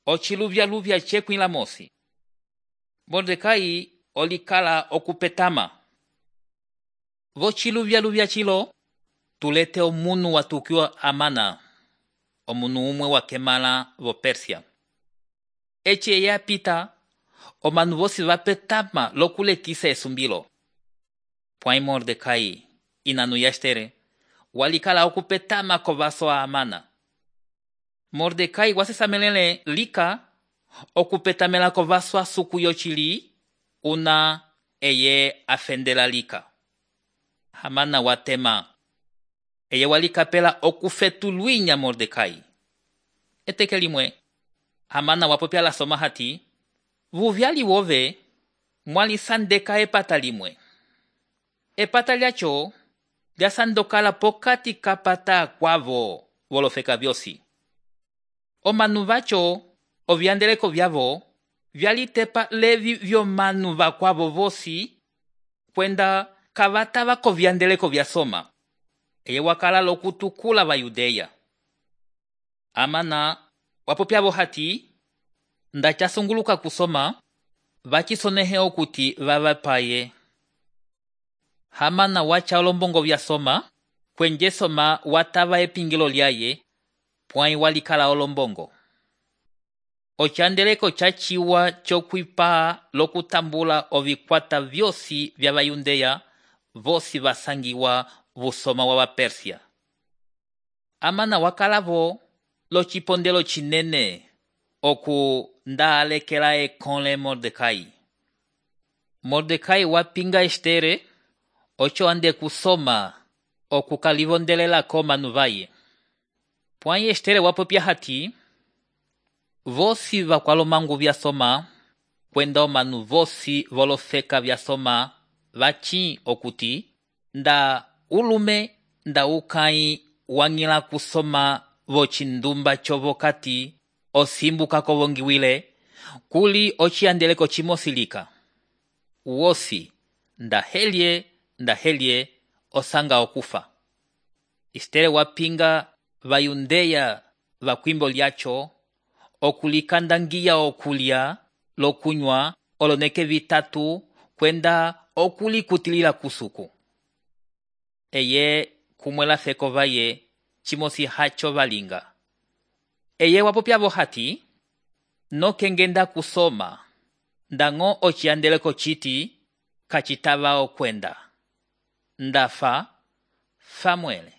ociluvya-luvya cekwila mosi. Mordecai olikala okupetama. Vociluvya-luvya cilo, tulete omunu watukiwa Amana, omunu umwe wakemala vo Persia. Eci eye apita, omanu vosi vapetama lokulekisa esumbilo. Pwãi Mordecai, inanu ya Estere, walikala okupetama kovaso a Amana. Mordecai wasesamelele lika okupetamela kovaso a suku yocili, una eye afendela lika. Amana watema. Eye walikapela okufetuluinya Mordecai. Eteke limwe, Amana wapopya la soma hati, vuvyali wove, mwalisandeka epata limwe. Epata lyacho, lyasandokala pokati kapata kwavo, volofeka vyosi. Omanu vacho, ovyandeleko vyavo, vyalitepa levi vyomanu vakwavo vosi, kwenda kavatava kovyandeleko vyasoma. Eye wakala lokutukula va Yudeya. Amana wapopyavo hati, ndachasunguluka kusoma, vachisonehe okuti vavapaye. Amana wacha olombongo vyasoma, kwenje soma watava epingilo lyaye, pwãi walikala olombongo. Ochandeleko chachiwa chokwipa lokutambula ovikwata vyosi vya Vayudeya, vosi vasangiwa vusoma wa Persia. Amana wakalavo locipondelo chinene oku ndaalekela ekole Mordecai. Mordecai wapinga Estere, ocho ande kusoma okukalivondelelako manu vaye. Pwãi Estere wapopya hati, vosi vakwalomangu vyasoma, kwenda omanu vosi volofeka vyasoma, vachi okuti, nda ulume nda ukai wangila kusoma vocindumba chovokati osimbuka kovongiwile, kuli ociandeleko chimosilika. Uosi, nda helye, osanga okufa. Estere wapinga Vayudeya vakwimbo lyacho, okulikandangiya okulya, lokunywa, oloneke vitatu, kwenda okulikutilila kusuku. Eye kumwela feko vaye, chimosi hacho valinga. Eye wapopyavo hati, no kengenda kusoma, ndango ociandeleko chiti, kachitava okwenda. Ndafa, famwele.